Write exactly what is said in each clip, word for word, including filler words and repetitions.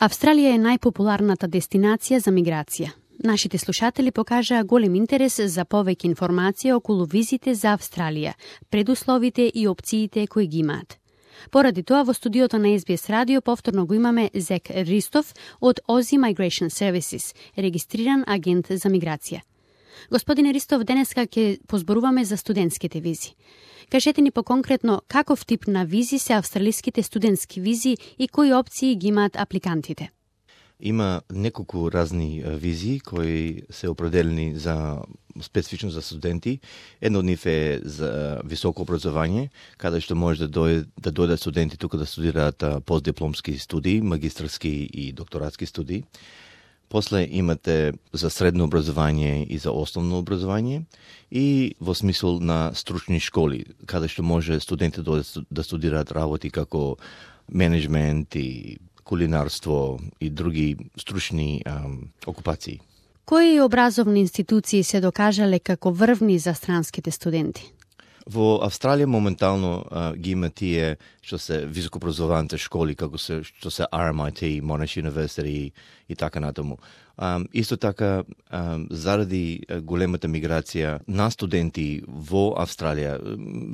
Австралија е најпопуларната дестинација за миграција. Нашите слушатели покажаа голем интерес за повеќе информација околу визите за Австралија, предусловите и опциите кои ги имаат. Поради тоа, во студиото на Ес Би Ес Радио повторно го имаме Зек Ристов од Aussie Migration Services, регистриран агент за миграција. Господине Ристов, денеска ќе позборуваме за студентските визи. Кажете ни поконкретно каков тип на визи се австралиските студентски визи и кои опции ги имаат апликантите? Има неколку разни визи кои се определени за специфично за студенти. Едно од нив е за високо образование, каде што може да дојде да дојдат студенти тука да студираат постдипломски студии, магистарски и докторатски студии. После имате за средно образование и за основно образование и во смисол на стручни школи, каде што може студенти да, да студираат работи како менеджмент и кулинарство и други стручни ам, окупации. Кои образовни институции се докажале како врвни за странските студенти? Во Австралија моментално а, ги има тие што се високообразованите школи, како се што се Ар Ем Ай Ти, Monash University и така натаму. Um, исто така, um, заради големата миграција на студенти во Австралија,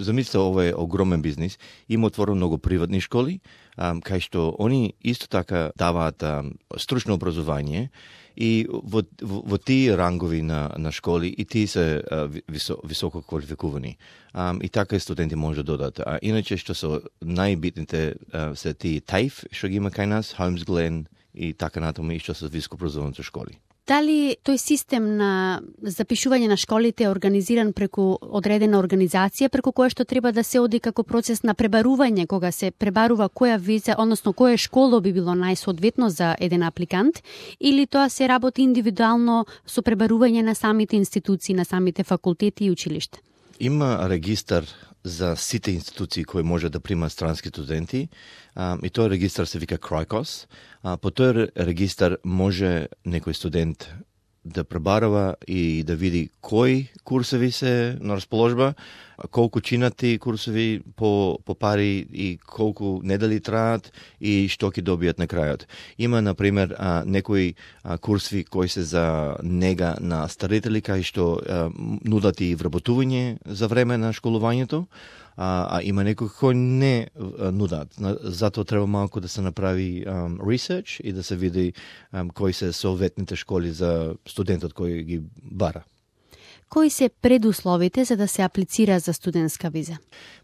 замислете, ова е огромен бизнис, има отворено многу приватни школи, um, кај што они исто така даваат um, стручно образование и во, во, во тие рангови на, на школи и тие се uh, висо, високо квалификувани. Um, и така и студенти може да додат. А иначе што се најбитните uh, се тие таиф, што ги има кај нас, Holmes-Glen и така натаму и што се високообразованите школи. Дали тој систем на запишување на школите е организиран преку одредена организација, преку која што треба да се оди како процес на пребарување, кога се пребарува која виза, односно која школа би било најсоодветно за еден апликант, или тоа се работи индивидуално со пребарување на самите институции, на самите факултети и училишта? Има регистар за сите институции кои може да примат странски студенти, а, и тој регистар се вика Крайкос. А, по тој регистар може некој студент да пребарува и да види кои курсови се на расположба, колку чинат тие курсови по, по пари и колку недели траат и што ќе добијат на крајот. Има, например, а, некои а, курсови кои се за нега на старители, кај што а, нудат и вработување за време на школувањето, а, а има некои кои не а, нудат. Затоа треба малку да се направи um, research и да се види um, кои се соодветните школи за студентот кој ги бара. Кои се предусловите за да се аплицира за студентска виза?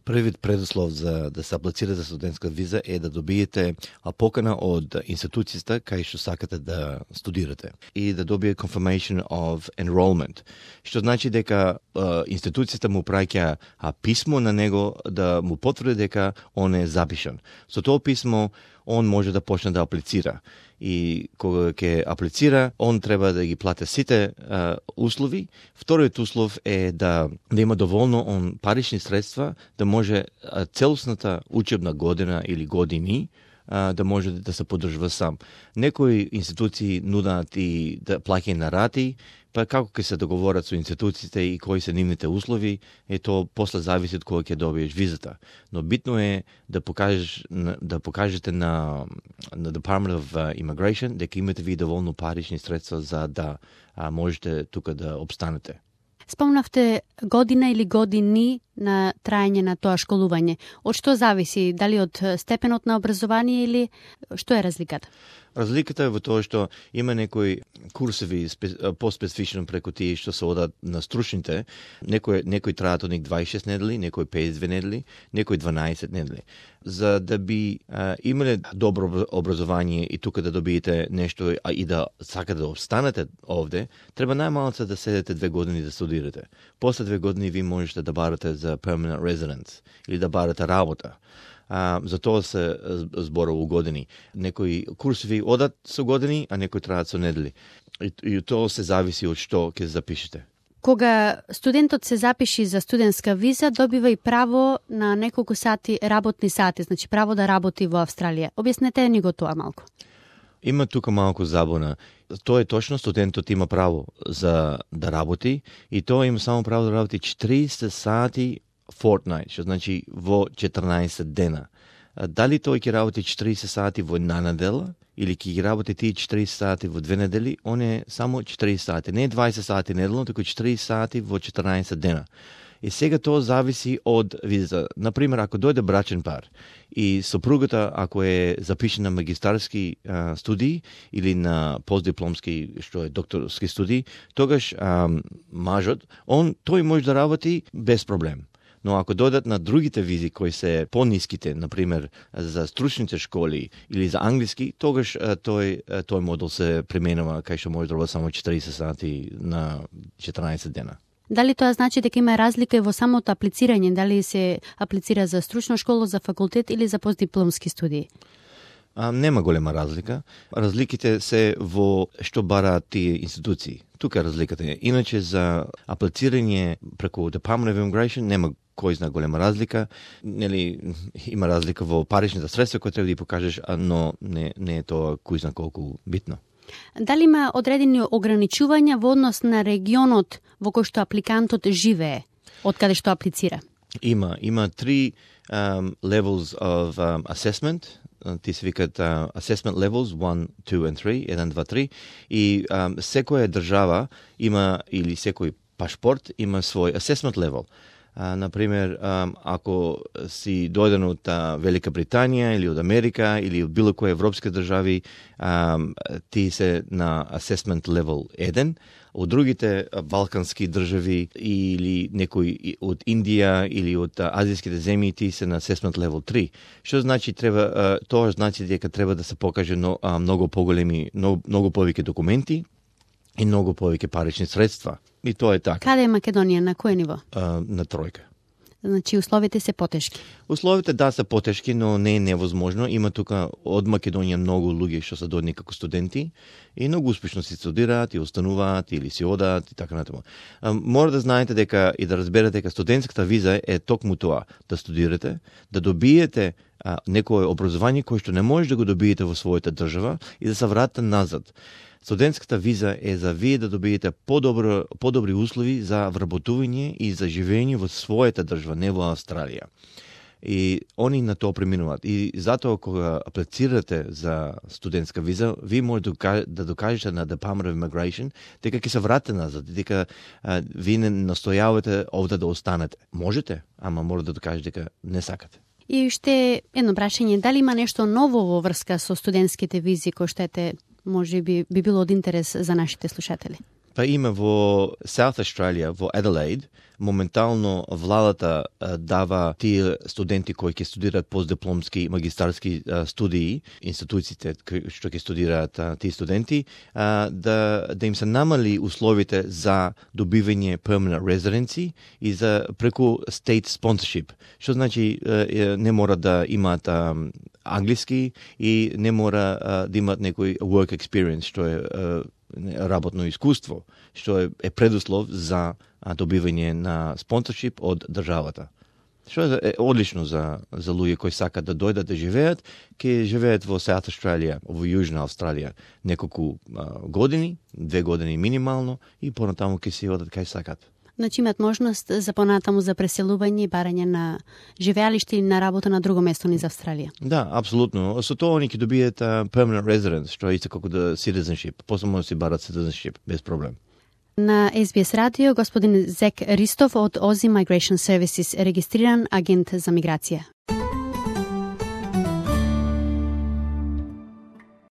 Првиот предуслов за да се аплицира за студентска виза е да добиете покана од институцијата кај што сакате да студирате и да добие confirmation of enrollment, што значи дека uh, институцијата му праќа писмо на него да му потврди дека он е запишан. Со тоа писмо он може да почне да аплицира. И кога ќе аплицира, он треба да ги плати сите а, услови. Вториот услов е да, да има доволно он парични средства, да може а, целосната учебна година или години а, да може да се поддржува сам. Некои институции нудат и да плаќаат на рати, па како ќе се договорат со институциите и кои се нивните услови, е тоа после зависи од кога ќе добиеш визата. Но битно е да покажеш да покажете на на Department of Immigration дека имате ви доволно парични средства за да а, можете тука да обстанете. Спомнавте година или години на траење на тоа школување. Од што зависи? Дали од степенот на образование или што е разликата? Разликата е во тоа што има некои курсови поспецифично преку тие што се одат на стручните. Некои некои траат од них дваесет и шест недели, некои педесет и две недели, некои дванаесет недели. За да би а, имале добро образование и тука да добиете нешто а и да сакате да останете овде, треба најмалку да седете две години да студирате. После две години ви можете да барате за permanent residence или да барате работа. А, за тоа се зборува години. Некои курсови одат со години, а некои траат со недели. И, и тоа се зависи од што ќе запишете. Кога студентот се запиши за студентска виза, добива и право на неколку сати работни сати, значи право да работи во Австралија. Објаснете ни го тоа малку. Има тука малку забуна. Тоа е точно, студентот има право за да работи и тоа има само право да работи четириесет сати fortnight, што значи во четрнаесет дена. дали тој ќе работи четириесет сати во една недела или ќе ги работи тие четириесет сати во две недели, он е само четириесет сати. Не е дваесет сати неделно, туку четириесет сати во четрнаесет дена. И сега тоа зависи од визата. Например, ако дојде брачен пар и сопругата, ако е запишена на магистарски а, студии или на постдипломски, што е докторски студии, тогаш а, мажот, он тој може да работи без проблем. Но ако дојдат на другите визи кои се пониските, например за стручните школи или за англиски, тогаш тој тој модел се применува кај што може да работи само четириесет сати на четрнаесет дена. Дали тоа значи дека има разлика и во самото аплицирање, дали се аплицира за стручна школа, за факултет или за постдипломски студии? А, нема голема разлика. Разликите се во што бараат тие институции. Тука е разликата. Иначе за аплицирање преку Department of Immigration нема кој зна голема разлика. Нели има разлика во паричните средства кои треба да ги покажеш, но не не е тоа кој зна колку битно. Дали има одредени ограничувања во однос на регионот во кој што апликантот живее, од каде што аплицира? Има, има три um, levels of um, assessment. Ти се викат uh, assessment levels one, two and three, еден, два, три. И um, секоја држава има, или секој пашпорт има свој assessment level. Uh, например, um, ако си дојден од uh, Велика Британија или од Америка или од било која европска држави, um, ти се на assessment level еден. Од другите балкански држави или некој од Индија или од азијските земји, ти се на assessment level три. Што значи треба, тоа значи дека треба да се покаже многу поголеми, многу, многу повеќе документи и многу повеќе парични средства. И тоа е така. Каде е Македонија, на кој ниво? А, на тројка. Значи условите се потешки. Условите да се потешки, но не е невозможно. Има тука од Македонија многу луѓе што се дојдени како студенти и многу успешно си студираат и остануваат или си одат и така натаму. Мора да знаете дека и да разберете дека студентската виза е токму тоа, да студирате, да добиете а, некое образование кое што не може да го добиете во својата држава и да се вратите назад. Студентската виза е за вие да добиете подобро, подобри услови за вработување и за живење во својата држава, не во Австралија. И они на тоа преминуваат. И затоа кога аплицирате за студентска виза, ви може да докажете на Department of Immigration дека ќе се вратите назад, дека а, ви не настојавате овде да останете. Можете, ама мора да докажете дека не сакате. И уште едно прашање, дали има нешто ново во врска со студентските визи кои што ете може би би било од интерес за нашите слушатели? Па има во South Australia, во Adelaide, моментално владата а, дава тие студенти кои ќе студираат постдипломски и магистарски а, студии, институциите што ќе студираат а, тие студенти, а, да, да им се намали условите за добивање permanent residency и за преку state sponsorship. Што значи а, не мора да имаат а, англиски и не мора а, да имаат некој work experience, што е а, работно искуство, што е, е предуслов за а, добивање на спонсоршип од државата. Што е, е одлично за, за луѓе кои сакат да дојдат да живеат, ќе живеат во South Australia, во Јужна Австралија, неколку а, години, две години минимално, и понатаму ќе си одат кај сакат. Значи имат можност за понатаму за преселување и барање на живеалиште или на работа на друго место низ Австралија. Да, апсолутно. Со тоа они ќе добијат uh, permanent residence, што е исто како да citizenship. После може да си барат citizenship без проблем. На Ес Би Ес радио господин Зек Ристов од Ози Migration Services, регистриран агент за миграција.